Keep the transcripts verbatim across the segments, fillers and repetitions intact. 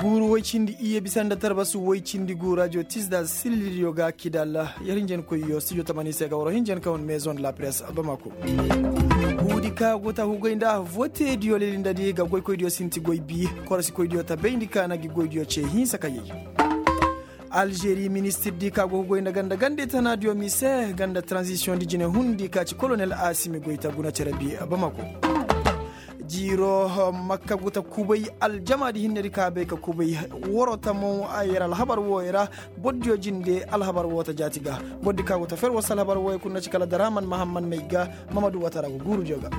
Guuru woy cindi iyye bisa nda tarbas woy cindi gu rajo tisda sililidiyo ga kidalla. Yer hinjankoyyo studio tamani se ga waro hinjan kaŋ wane maison de la presse bamako. Huudi ka go ta hugay nda vote diyo lilindadi ga goykoydiyo sinti goy bi. Korosikoydiyo ta bayndi ka na gi goydiyo ce hinsa ka yay. Alžeri ministir di ka go ga goy nda ganda ganda itanaadiyo mise ganda tranzisiyoŋ di jine hundi ka ci kolonel asimi goy ta guna cere bi bamako. Jiiro makka go ta kubay aljama di hinne di ka bay ka kubay. Woro tamo yer alhabar wooyo ra. Bordiyo jinde alhabar woo ta jaati ga. Bordi ka go ta fer woo se alhabar wooyo kul na ci kala daraman mahamman may ga. Mamadu watara go guurudiyo ga.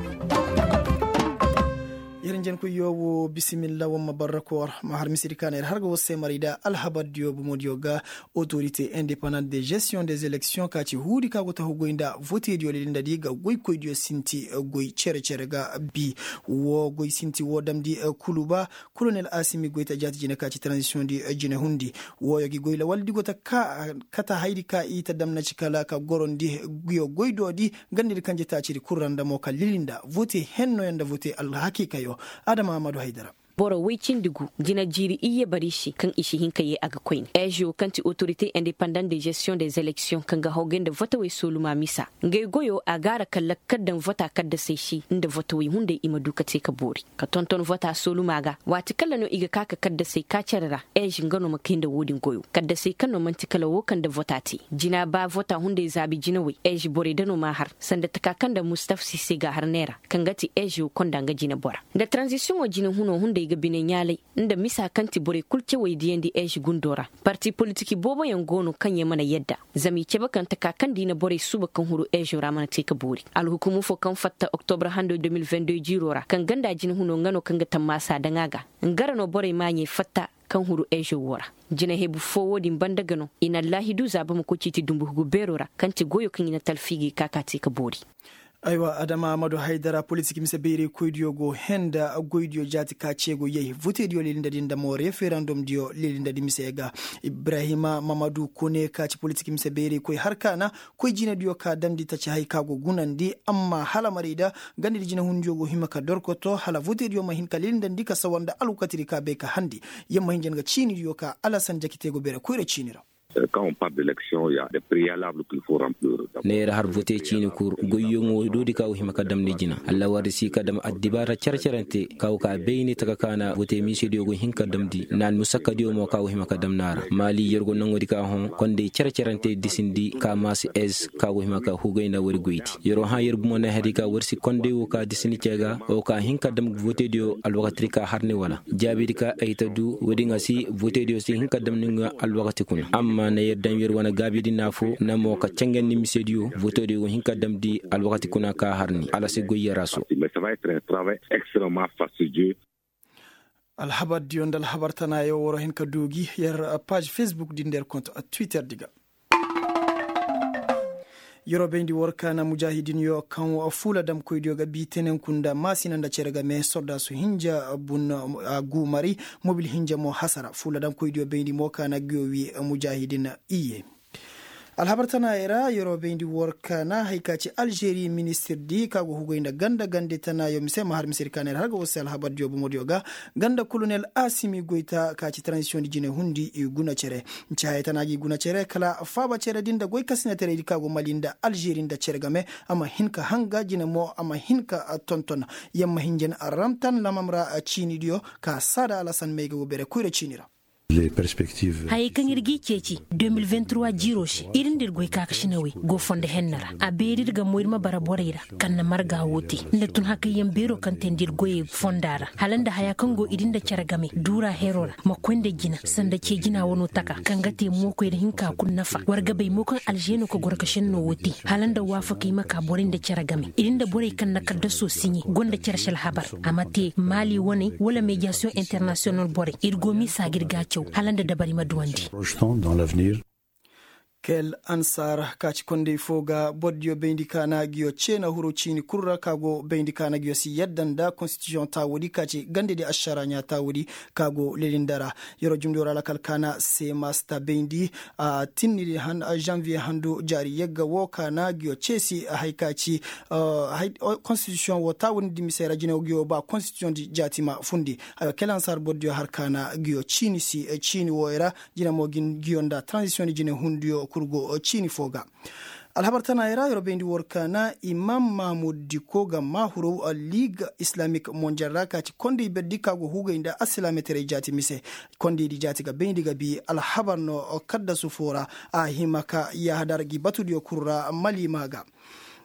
Yer njenkuyo wo bisimilla wamma barrakoor ma har misidi ka na yer har ga war se maray da alhabardiyo bomodiyo ga. Autorité indépendante de gestion des élections ka ci huudi ka go ta hugoy nda votediyo lilindadi ga goykoydiyo sinti goy cere-cere ga bi. Wo goy sinti wo damndi kuluba. Kolonel asimi goy ta jaati jine ka ci transition di jine hundi. Wooyo gi goy lawaldi go ta kata haydi ka i ta damna ci kala ka gorondi. Guyo goydoodi. Gandidi kanje taacidi kul ra nda mo ka lilinda vote hennoyo nda vote alhakiikayo. Adama amadu haydara. Boro woy cindi gu jina jiiri iyye bari se kaŋ i si hin ka yee a ga koyne eezo kaŋ ti autorité indépendant de gestion des élections kaŋ ga hawgay nda votewey sooluma misa. Ngey goyo a gaara ka lakkal daŋ vota kaddasey se nda votewey hunday i ma du ka te ka boori ka tonton vota sooluma ga waati kala no i ga ka ka kaddasey ka cere ra. Eezo nga no ma kay nda wo-din goyo kaddasey kaŋ no man'ti kala wo kaŋ nda vota te. Jina ba vota hunday zaabi jinawey eezo borey da no m'a har sanda taka kaŋ nda mustaf sise ga har neera kaŋ ga ti eezo konda nga jinebora nda taranzisiyoŋo jine huno hunday ga bine ɲaalay. Nda misa kaŋ ti borey kul cawey diyandi eezo gundo ra. Parti politik booboyaŋ go no kaŋ yaŋ mana yadda zama i cabe kaŋ taka kaŋ nda i na borey suuba kaŋ huru eezo ra mana te ka boori. Alhukumu fo kaŋ fatta oktobra hando de mil vingt-deux jiiro ra kaŋ ganda jine huno nga no kaŋ ga tammaasa daŋ a ga. Nga ra no borey maaɲey fatta kaŋ huru eezo wo ra. Jine hebu fo wo-din banda ga no i na allaahidu zaaba ma koy ciiti dumbu hugu beero ra kaŋ ti goyo kaŋ i na talfiigey ka ka te ka boori. Aywa adama amadu haydara politik mise bayraykoydiyo go henda goydiyo jaati ka ceego yay votediyo lilindadi nda mo referandumdiyo lilindadi mise ga. Ibrahima mamadu kone ka ci politik mise bayraykoy har ka na koy jinediyo ka damndi taci hay ka go gunandi amma hala marayda. Gandidi jinehundiyo go hima ka dorkoto hala votediyo ma hin ka lilindandi ka sawa nda alwakatidi ka bay ka handi. Yamma hinja nga ciinidiyo ka alasan jakite go beere koyra ciini ra. Neera har vote ciini kul goyyoŋo doodi ka go hima ka damndi jina allawardi si ka dam addibaara care-carante ka go ka bayni taka ka na vote miisediyo go hin ka damndi na almusakkadiyo mo ka go hima ka damndi a ra maali yer go naŋo di ka hõ kondey care-carante disindi ka maasi es ka go hima ka hugay nda wari goydi. Yer wo hã yer bumo na hari ka war si kondey wo ka disini ce ga wo ka hin ka dam votediyo alwakati di ka har ni wala jaabidi ka ay ta du woodiŋ a si votediyo si hin ka dam ni ŋwa alwakati kuna amma na yer daŋ yer wane gaabidi naafo na mo ka cangandi misediyo votediyo wo hin ka damndi alwakati kuna ka har ni ala si goy yer a so. Alhabardiyo nda alhabar tanaayo war hin ka du gi yer paaž fesbuk di nda yer kont twitter di ga. Yeroo bayndi war kaana mujaahidinyo kaŋ fuula damkoydiyo ga bii tenenku nda maasina nda cere game soldaasu hinja bun a guumari mobil hinja mo hasara fuula damkoydiyo bayndi mo kaana guyo wii mujaahidin iyye. Alhabar tanaayey ra yeroo bayndi war kaana haya ka ci alžeri ministirdi ka go hugay nda ganda gande tanaayo mise ma har misedi kaana yer har ga war se alhabardiyo bomodiyo ga. Ganda kolonel asimi goyta ka ci tranzisiyoŋ di jine hundi i guna cere. Nci haya tana gi guna cere kala faaba cere din nda goy kasinataray di ka go mali nda alžeri nda cere game. A ma hin ka hanga jine mo a ma hin ka tonton. Yamma hinjin ramtan lamam ra ciinidiyo ka saada alasan may ga go bere koyra ciini ra. Hayey kaŋ ir g'i ceeci de mil vingt trois jiiroo se ir nda ir goy kaakasinawey go fondo henna ra. A beeri ir ga mo ir ma bara borey ra kaŋ na marga woo te nda tun hakayyaŋ beeroo kaŋ teendi ir goyey fonda ra hala nda hayaa kaŋ go ir nda cere game duuraa heroo ra ma koy nda jina sanda cee jinaa wanoo taka kaŋ ga te mookoy ra hinkaa kul nafa war ga bay mo kaŋ alženo ka gorkašennoo woo te hala nda waafakey ma kaa borey nda cere game ir nda borey kaŋ na kaddasoo siɲe gonda cere se alhabar. A ma te maali waney wala mediyasiyoŋ internasiyonal borey ir go miisa ga ir g'a caw hala nda dabari ma duwandi. Dans l'avenir. Kel ansar ka ci kondey fo ga bordiyo bayndi ka na ngiyo cee na huru ciini kul ra ka go bayndi ka na ngiyo si yadda nda konstitiyoŋ taawudi ka ci gandedi ašara ɲaa taawudi ka go lelindara. Yer'o jumdiyo ra lakal ka na seemasta bayndi a tinnidi han žanviye handu jaari yagga wo ka na ngiyo cee si hay ka ci konstitiyoŋ wo taawudi nda misey ra jine wo ngiyo ba konstitiyoŋ di jaati ma fundi. Kel ansar bordiyo har ka na ngiyo ciini si ciini wooyo ra jine mo ngiyo nda taranzisiyoŋ di jine hundiyo kul go ciini fo ga. Alhabar tanaayey ra yer bayndi war ka na imam mahmud diko ga maa huru liig islamik monjel ra ka ci kondey berdi ka go hugay nda assilaametaray jaati mise. Kondey di jaati ga bayndi ga bi alhabar no kaddasu fo ra a hima ka yahadar gi batudiyo kul ra maliima ga.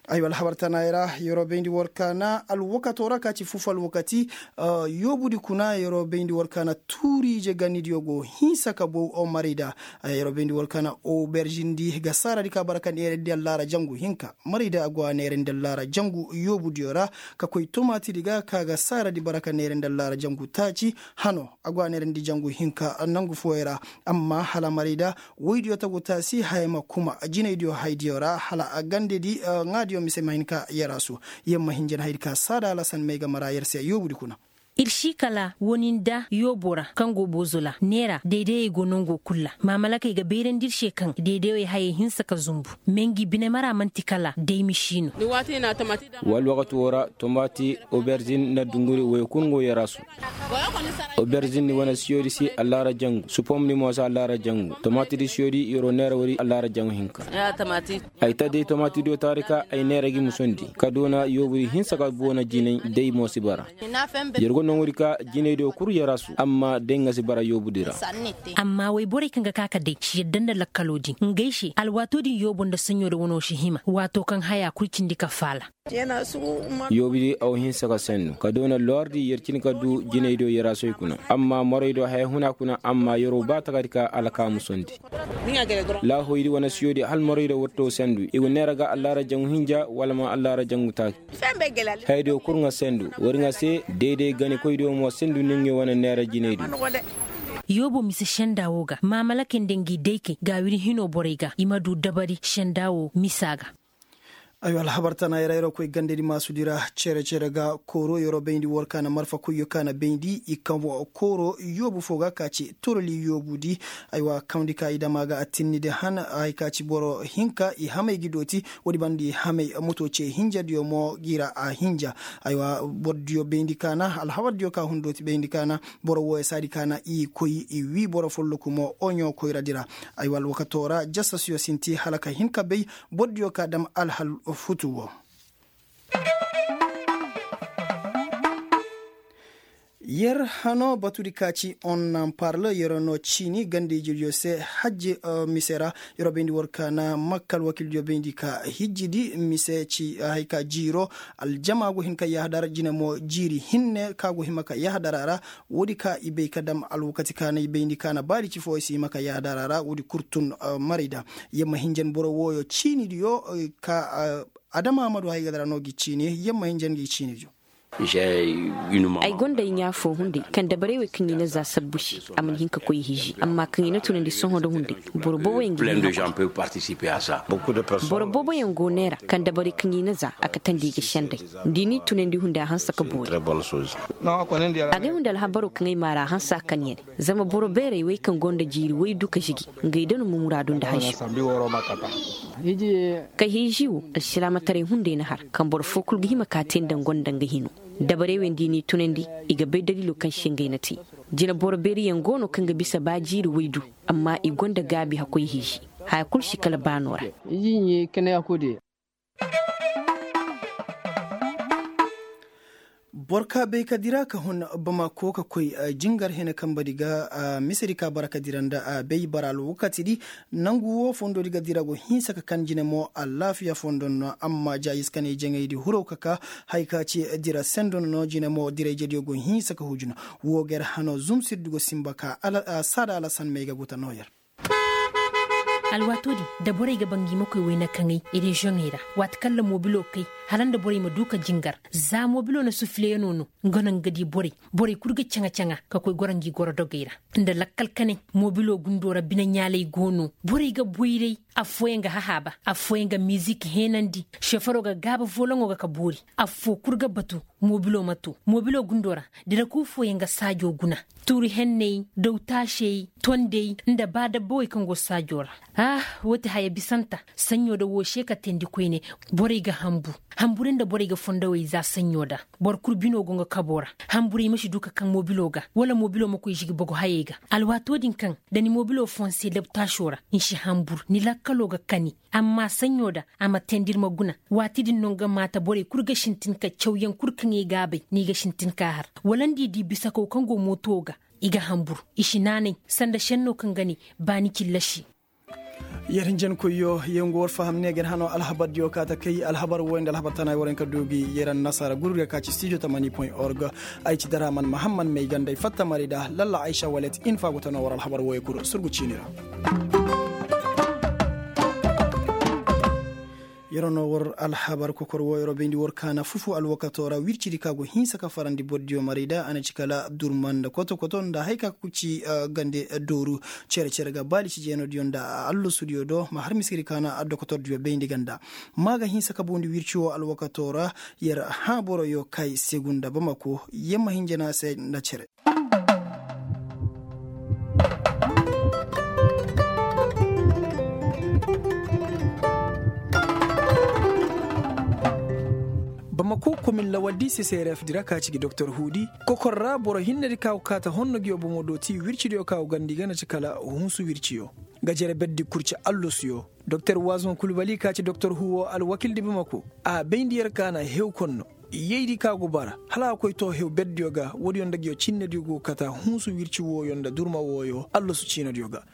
Aywa alhabar tanaayey ra yer bayndi war ka na alwakato ra ka ci fufu alwakati. Yoobudi kuna yer bayndi war ka na tuuriije ganidiyo go hinsa ka bow marayda. Yer bayndi war ka na oberžindi ga saaradi ka bara ka neerandi allaara jangu hinka marayda a go a neerandi allaara jangu yoobudiyo ra ka koy tomaatidi ga ka ga saaradi bara ka neerandi allaara jangu taaci hano a go a neerandi jangu hinka nangu fooyey ra. Amma hala marayda woydiyo tagu taasi haya ma kuma jinaydiyo haydiyo ra hala a gandedi ŋaadiyo mise ma hin ka yaraasu. Yer ma hin jan haydi ka saada alasan may ga mara yer se yoobudi kuna. Ir si kala woni nda yoobo ra kaŋ go boozola neera daydayey go nango kul ra maamalakey ga bayrandi ir se kaŋ daydayey hayey hinsa ka zumbu. Mengi binemara man'ti kala day misi no. Wala wakati wo ra tomati oberzin na dunguri woy kul ngo yaraasu. Oberzin ni wane siyodi si allaara jangu supom ni mo si allaara jangu tomati di siyodi yer'o neera wari allaara jangu hinka. Ay ta day tomati diyo taari ka ay neera gi musondi ka doona yoobudi hinsa ka boona jinay day mo si bara. Yer go nongudi ka jinay diyo kul yaraasu amma day nga si bara yoobudi ra. Amma woy borey kaŋ ga ka ka day si yadda nda lakkaloo din ngey se alwaatoo din yoobo nda saɲɲo da wanoo si hima waatoo kaŋ haya kul cindi ka faala. Yoobi di aw hinsa ka sendu ka doona loordi yer cin ka du jinay do yarasoy kuna. Amma moray do haya huna kuna amma yer'o ba takadi ka alkaamu sondi. Laahoy di wane siyo di hal moray do watto sendu i go neera ga allaara jangu hinja wala ma allaara jangu taaki. Haya diyo kul ŋa sendu wari ŋa se deeday gani koy diyo mo sendu ni ŋa wane neera jinay di. Yoobo mise senda wo ga maamalakey nda ngi daykey ga wiri hino borey ga i ma du dabari senda wo misa ga. Aywa alhabar tana yara yaro koy gandedi maasudi ra cere cere ga kooro yaro bayndi war ka na marfa koyyo ka na bayndi i kaŋ kooro yoobu fo ga ka ci toroli yoobudi. Aywa kawndi ka i dama ga a tinnidi han hay ka ci boro hinka i hamay gi dooti. Woodi banda i hamay moto ce hinjadiyo mo gi ra a hinja. Aywa bordiyo bayndi ka na alhabardiyo ka hun dooti bayndi ka na boro wooyo saadi ka na i koy i wii boro folloku mo oɲo koyradi ra. Aywa alwakato ra jasasiyo sinti hala ka hin ka bay bordiyo ka dam alhal futu wo. Yer hano batudi ka ci on nan parle yer no ciini ganda ijediyo se hajji mise ra. Yer bayndi war ka na makka alwakildiyo bayndi ka hijjidi mise ci hay ka jiiro aljama go hin ka yahadar jine mo jiiri hinne ka go hima ka yahadar a ra. Woodi ka i bay ka dam alwakati ka na i bayndi ka na baadi ci fo i si hima ka yahadar a ra woodi kul tun. Marayda yer ma hinjan boro wooyo ciinidiyo ka adama amadu hay ga dara no gi ciini yer ma hinjan gi ciinidiyo. Ay gonda ay ɲaa fo hunday kaŋ dabarey wey kaŋ i na za sabbu se a mana hin ka koy i hiiji amma kaŋ i na tunandi sohõ nda hunday boro booboyaŋ ga hin hakuri. Boro booboyaŋ go neera kaŋ dabarey kaŋ i na za a katandi i ga senday. Da i n'i tunandi hunday a hanse ka boori. Agay hunday alhabaro kaŋ ay maara a hanse a kan ya ne. Zama boro beerey wey kaŋ gonda jiiri waydu ka žigi ngey da no ma muraadu nda hanse. Ka hiiji wo alsilaamataray hunday na har kaŋ boro fo kul ga hima ka te nda nga gonda nga hino. Dabarey wey nda i n'i tunandi i ga bay daliilo kaŋ se ngey na te. Jina boro beeriyaŋ go no kaŋ ga bisa ba jiiri waydu amma i gonda gaabi hakkoy hiiji. Haya kul si kala baano ra. Boro ka bay ka dira ka hun bamako ka koy jingar hene kambadi ga. Misedi ka bara ka dira nda a bay bara alwakatidi. Nangu wo fondodi ga dira go hinsa ka kan jine mo alaafiya fondon no amma jaayiskane jaŋaydi huraw ka ka. Hay ka ci dira sendon no jine mo dirayjediyo go hinsa ka hujuna. Wo ga yer hano zumsirdi go simba ka saada alasan may ga guta no yer. Alwaatoo din da borey ga ba ngi ma koy wayna kaŋay reziyoŋey ra waati kaŋ ra moobilo kay hala nda borey ma du ka jingar. Za moobilo na sufileyanoo no nga no nga di borey. Borey kul ga caŋa-caŋa ka koy goro ngi goro dogey ra. Nda lakkal kanay moobilo gundoo ra bine ɲaalay go no. Borey ga boyray. Affooyaŋ ga hahaaba, affooyaŋ ga mizik heenandi. Šeferoo ga gaaba voloŋo ga ka boori. Affoo kul ga batu, mobiloo ma too. Mobiloo gundoo ra, diraku fooyaŋ ga saajoo guna. Tuuri henney, daw taasey, tondey, nda ba dabbawey kaŋ go saajoo ra. Ah, woo ti haya bisanta. Saɲɲoo da woo se ka teendi koyne. Borey ga hanbur. Hanburey nda borey ga fondowey za saɲɲoo da. Boro kul binoo go nga kaboo ra. Hanburey ma si du ka kaŋ mobiloo ga, wala mobiloo ma koy žigi bogo hayey ga. Alwaatoo din kaŋ, da ni mobiloo foo ni se dabtaasoo ra, ni si hanbur, ni lakkaloo ga kani. Amma saɲɲoo da, a ma teendi ir ma guna. Waati din no nga maata borey kul ga sintin ka cawyaŋ kul kaŋ i g'a bay, ni ga sintin k'a har. Wala nda i di bisakaw kaŋ go mootowoo ga, i ga hanbur. I si naanay, sanda šennoo kaŋ ga ne, ba ni cillasi. Yer hinjankoyyo, yer ngu war faham ne ga ni hanoo alhabardiyo kaa ta kay alhabar wooyo nda alhabar tanaay war hin ka du gi yer annasaara gurur ga ka ci studio tamani point org. Ay ci daraman mahammad may ganda ay fatta mari da lalla aysa walet infa go ta noo war alhabar wooyo kul surgu ciini ra. Yer noo war alhabar kokor wooyo ra bayndi war kaana fufu alwakatoo ra wircidi ka go hinsa ka farandi bordiyo mari da a na ci kala durma nda koto-koto nda haya ka ga ci gande dooru cere-cere ga baali ci jeenodiyo nda allasudiyo do ma har miskidi kaana dokotordiyo bayndi ganda. Ma ga hinsa ka bundi wirci woo alwakatoo ra. Yer hã boroyo kay segu nda bamako yer ma hinja no a se nda cere. Bamako komin lawaddi seseref di ra ka ci gi doktor huudi kokor ra boro hinnedi ka go kaata honno gi yoo bomo dooti wircidiyo ka go gandi ga na ci kala hunsu wirciyo. Nga jere berdi kurci allosuyo. Doktor waazon kulbali ka ci doktor huuwo alwakildi bamako a bayndi yer ka na hew konno. Yeydi ka go bara hala a koy too hew berdiyo ga woodiyo nda nguyo cinnediyo go kata hunsu wirci wooyo nda durma wooyo allosu ciinodiyo ga.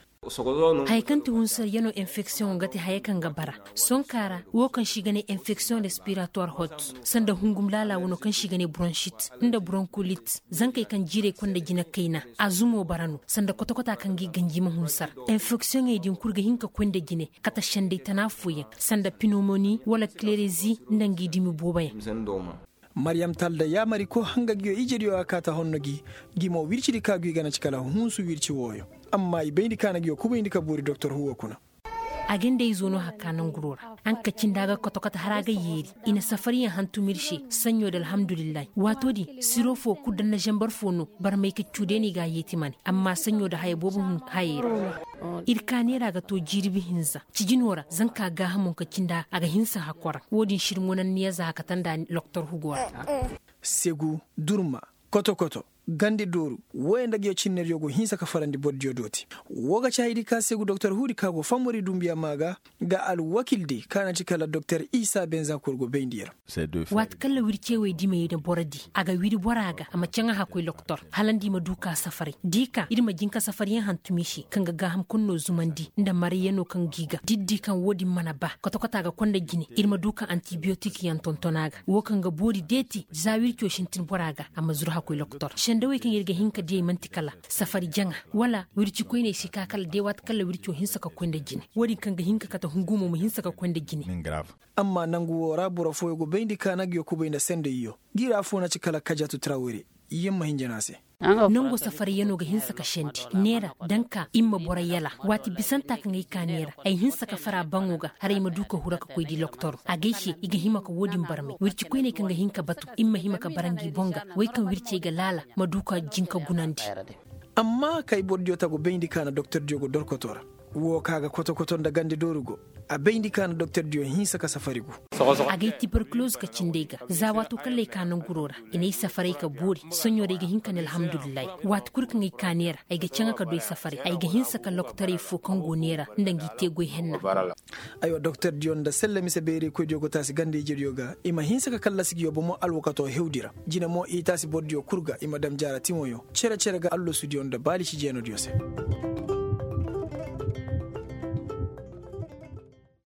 Haya kaŋ ti hunsu yer yer no enfeksiyoŋo nga ti haya kaŋ ga bara sonkaa ra woo kaŋ se i ga ne enfeksiyoŋ respiratuwar hot sanda hungum laala wano kaŋ se i ga ne bronšit nda bronkulit. Zankey kaŋ jiirey konda jina kayna a zumo bara no sanda kotokotaa kaŋ ga i ganji ma hunsar. Enfeksiyoŋey din kul ga hin ka koy nda jine kata sendey tana fooyaŋ sanda pinomoni wala klerezi nda ngi dumi booboyaŋ. Maryam talda yaamariko hanga nguyo ijediyo a kaata honno gi. Ngi mo wircidi ka ngu i ga na ci kala hunsu wirci wooyo. Amma i bayndi ka na nguyo kubayndi ka boori doktor huuwo kuna. A ga nda izo no hakka nanguroo ra. Anka cindi a ga kotokota har a ga yeeri. I na safariyaŋ hantum ir se saɲɲo da alhamdulillahi waatoo din siro foo kul da nda zambar foo no. Barmay ka cuu day no i ga a yeeti mane amma saɲɲo da haya boobo hun hayey ra. Ir ka neera ga too jirbi hinza. Cijinoo ra zanka gaahamo ka cindi a ga hinsa hakkoraŋ. Woo din sirmo na niya za a kate nda loktor hugoo ra. Segu, durma, koto-koto, gandi dooru, wooyo nda nguyo cinnediyo go hinsa ka farandi bordiyo dooti. Woo ga ci haydi ka segu doktor huudi ka go fammari dumbiya maa ga. Nga alwakildi ka na ci kala doktor isa benzakur go bayndi yer. Waati kaŋ ra wircewey dimey na boro di a ga wiri bora ga a ma caŋ a hakkoy loktor hala nda i ma du ka safaray da i ka ir ma jin ka safaryaŋ hantum i se kaŋ ga gaaham kulu no zumandi nda marayyanoo kaŋ ga i ga da ir di kaŋ woo din mana ba kotokotaa ga konda jine ir ma du ka antibiyotikyaŋ tonton a ga woo kaŋ ga boori deeti za wirco sintin bora ga a ma zuru hakkoy loktor sendawey kaŋ ir ga hin ka diyey man'ti kala safari jaŋa wala wirci koyney si ka kala day waati kaŋ ra wirco hinsa ka koy nda jine woo din kaŋ ga hin ka kate hungumo ma hinsa ka koy nda jine. Amma nangu woo ra boro fooyo go bayndi ka na nguyo kubay nda sendayyo. Ngi ra foo na ci kala kajatu trawere. Yer ma hinja no a se. Nango safarayyanoo ga hinsa ka sendi neera da nga ka ir ma boro yala waati bisanta kaŋ ay ka neera ay hinsa ka fara baŋo ga hala ay ma du ka huru ka koy di loktor a ga ay se i ga hima ka woo din barmay wirci koyney kaŋ ga hin ka batu ir ma hima ka bara ngi boŋ ga wey kaŋ wircey ga laala ma du ka jin ka gunandi. Amma kay bordiyo tagu bayndi ka na doktordiyo go dorkotoo ra. Woo ka ga kotokoto nda gande dooru go. A bayndi ka na doktordiyo hinsa ka safari gu. Agay tiberkuloz ka cindey ga za waatoo kaŋ lay ka nanguroo ra i n'ay safaray ka boori soɲoo ra ay ga hin ka ne alhamdulillahi. Waati kul kaŋ ay ka neera ay ga caŋa ka du ay safaray ay ga hinsa ka lokotorey foo kaŋ go neera nda ngi te goy henna. Aywa doktordiyo nda selle mise beeraykoydiyo go taasi ganda ijediyo ga i ma hinsa ka kallasi ngiyo bomo alwakatoo hewdi ra. Jine mo i taasi bordiyo kul ga i ma dam jaara timoyo cere-cere ga allasudiyo nda baali si jeenodiyo se.